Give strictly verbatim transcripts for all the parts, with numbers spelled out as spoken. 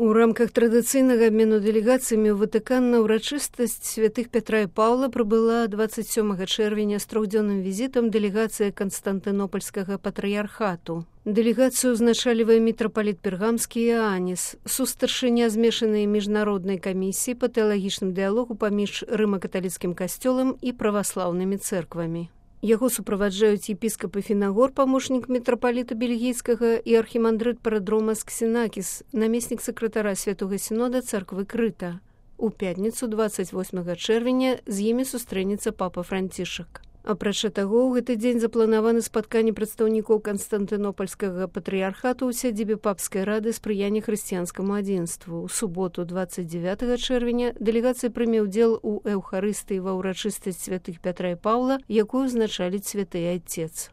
У рамках традыцыйнага абмену дэлегацыямі ў Ватыкан на ўрачыстасць святых Пятра і Паўла прыбыла дваццаць сёмага чэрвеня з трохдзённым візітам дэлегацыя Канстантынопольскага патрыярхату. Дэлегацыю узначалівае мітрапаліт Пергамскі Іанніс, сустаршыня змешанай міжнароднай камісіі па тэалагічным дыялогу паміж рыма-каталіцкім касцёлам і праваслаўнымі цэрквамі. Яго суправаджаюць епіскап Фінагор, памочнік мітрапаліта бельгійскага, і архімандрыт Парадромас Ксенакіс, намеснік сакратара Святога Сінода царквы Крыта. У пятніцу дваццаць восьмага чэрвеня з імі сустрэнецца папа Францішак. Апрача таго, ў гэты дзень запланаваны спатканне прадстаўнікоў Канстантынопольскага патрыярхату ў сядзібе папскай рады спрыяння хрысціянскаму адзінству. У суботу дваццаць дзевятага чэрвеня дэлегацыя прыме ўдзел у эўхарыстыі ва ўрачыстасць святых Пятра і Паўла, якую узначаліць святы айцец.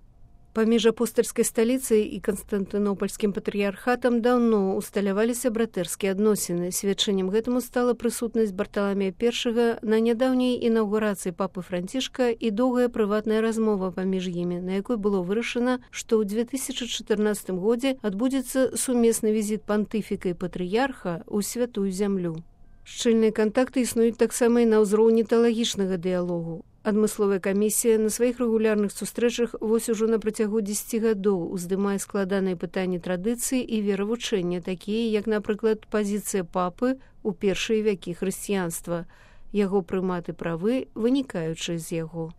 Паміж апостальскай сталіцай і Канстантынопольскім патрыярхатам даўно усталяваліся братэрскія адносіны. Сведчаннем гэтаму стала прысутнасць Барталамея першага на нядаўняй інаўгурацыі папы Францішка і доўгая прыватная размова паміж імі, на якой было вырашана, што ў две тысячы чатырнаццатым годзе адбудзецца сумесны візіт пантыфіка і патрыярха ў святую зямлю. Шчыльныя кантакты існуюць таксама і на ўзроўні тэалагічнага дыялогу. Адмысловая камісія на сваіх рэгулярных сустрэчах вось ужо на працягу дзесяці гадоў уздымае складаныя пытанні традыцыі і веравучэння, такія як, напрыклад, пазіцыя папы ў першыя вякі хрысціянства, яго прымат і правы, вынікаючыя з яго.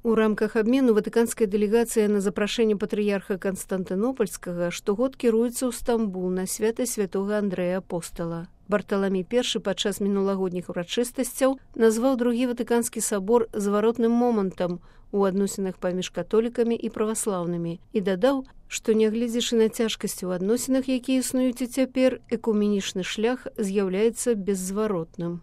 У рамках абмену ватыканская дэлегацыя на запрашэнне патрыярха Канстантынопольскага штогод кіруецца ў Стамбул на свята святога Андрэя Апостала. Барталамей першы падчас мінулагодніх урачыстасцяў назваў другі ватыканскі сабор зваротным момантам у адносінах паміж католікамі і праваслаўнымі і дадаў, што, нягледзячы на цяжкасці ў адносінах, якія існуюць і цяпер, экуменічны шлях з'яўляецца беззваротным.